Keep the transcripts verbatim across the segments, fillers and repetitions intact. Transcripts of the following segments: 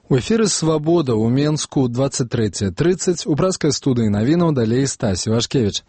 У эфіры «Свабода» ў Менску двадцать третье тридцать у праскай студыі навінаў далей Стась Івашкевіч.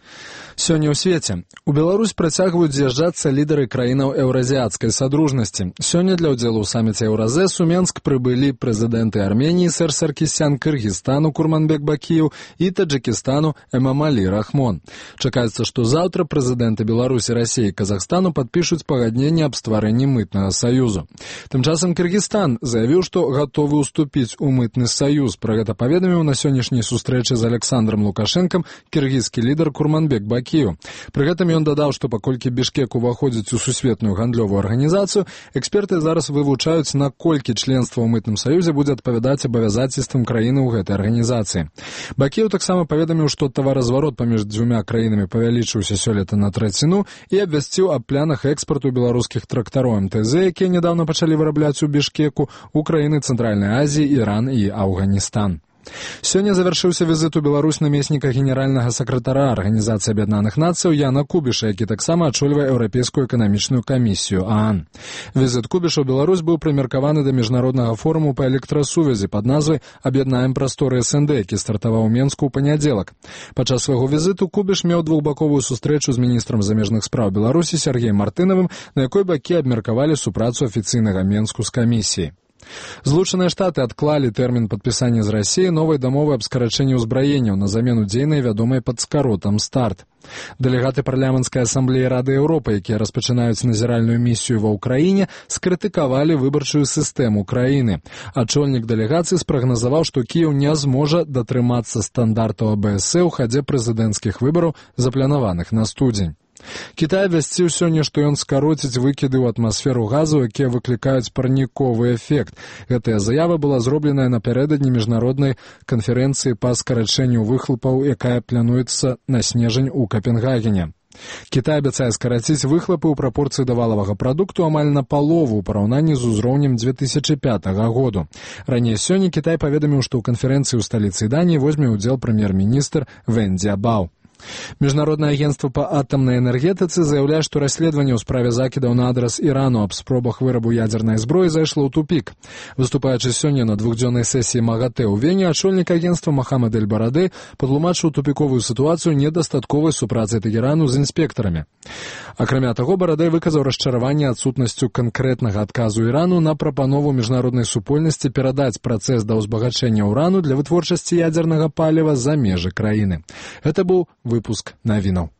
Сёння ў свеце. У Беларусь працягваюць з'язджацца лідары краінаў еўразіяцкай садружнасці. Сёння для ўдзелу ў саміце Еўразэс у Менск прыбылі прэзідэнты Арменіі Сэр Саркісян, Кыргызстану Курманбек Бакіеў і Таджикистану Эмомали Рахмон. Чакаецца, што заўтра прэзідэнты Беларусі, Расіі і Казахстану падпішуць пагадненне аб стварэнні мытнага саюзу. Тым часам Кыргызстан заявіў, што гатовы уступіць у мытны саюз. Пра гэта паведаміў на сённяшняй сустрэчы з Александром Лукашэнкам кіргізскі лідар Курманбек Бакіеў. Пры гэтым ён дадаў, што паколькі Бішкек уваходзіць у сусветную гандлёвую арганізацыю, эксперты зараз вывучаюць, наколькі членства ў мытным саюзе будзе адпавядаць абавязацельствам краіны ў гэтай арганізацыі. Бакіеў таксама паведаміў, што таваразварот паміж дзвюма краінамі павялічыўся сёлета на траціну і абвясціў аб планах экспарту беларускіх трактароў эм тэ зэ, якія нядаўна пачалі вырабляць у Бішкеку, у краіны Цэнтральнай Азіі, Іран і Афганістан. Сёння завяршыўся візіт у Беларусь намесніка генеральнага сакратара Арганізацыі Аб'яднаных Нацыяў Яна Кубіша, які таксама ачольвае Еўрапейскую эканамічную камісію ААН. Візіт Кубіша ў Беларусь быў прымеркаваны да міжнароднага форуму па электрасувязі пад назвай «Аб'яднаем прасторы эс эн дэ», які стартаваў у Менску ў панядзелак. Падчас свайго візіту Кубіш меў двухбаковую сустрэчу з міністрам замежных спраў Беларусі Сергеем Мартынавым, на якой бакі абмеркавалі супрацу афіцыйнага Менску з камісіяй. Злучаныя Штаты адклалі тэрмін падпісання з Расіяй новай дамовы аб скарачэнні ўзбраенняў на замену дзейнай, вядомай пад скаротам «Старт». Дэлегаты парламенцкай асамблеі Рады Еўропы, якія распачынаюць назіральную місію ва ўкраіне, скрытыкавалі выбарчую сістэму краіны. Ачольнік дэлегацыі спрагназаваў, што Кіеў не зможа датрымацца стандартаў а бэ эс э ў хадзе прэзідэнцкіх выбараў, запланаваных на студзень. Кітай абвясціў сёння, што ён скароціць выкіды ў атмасферу газу, якія выклікаюць парніковы эфект. Гэтая заява была зробленая напярэдадні міжнароднай канферэнцыі па скарачэнню выхлопаў, якая плануецца на снежань у Капенгагене. Кітай абяцае скараціць выхлопы ў прапорцыі да валавага прадукту амаль на палову ў параўнанні з узроўнем две тысячы пятага году. Раней сёння Кітай паведаміў, што ў канферэнцыі ў сталіцы Даніі возьме ўдзел прэм'ер-міністр Вэн Дзябао. Міжнароднае агенцтва па атамнай энергетыцы заяўляе, што расследаванне ў справе закідаў на адрас Ірану аб спробах вырабу ядзернай зброі зайшло ў тупік. Выступаючы сёння на двухдзённай сесіі МАГАТЭ ў Вене, ачольнік агенцтва Мохаммед эль-Барадэй патлумачыў тупіковую сітуацыю недастатковай супрацы Тэгэрану з інспектарамі. Акрамя таго, Барадэй выказаў расчараванне адсутнасцю канкрэтнага адказу Ірану на прапанову міжнароднай супольнасці перадаць працэс да ўзбагачэння ўрану для вытворчасці ядзернага паліва за межы краіны. Гэта быў выпуск навінаў.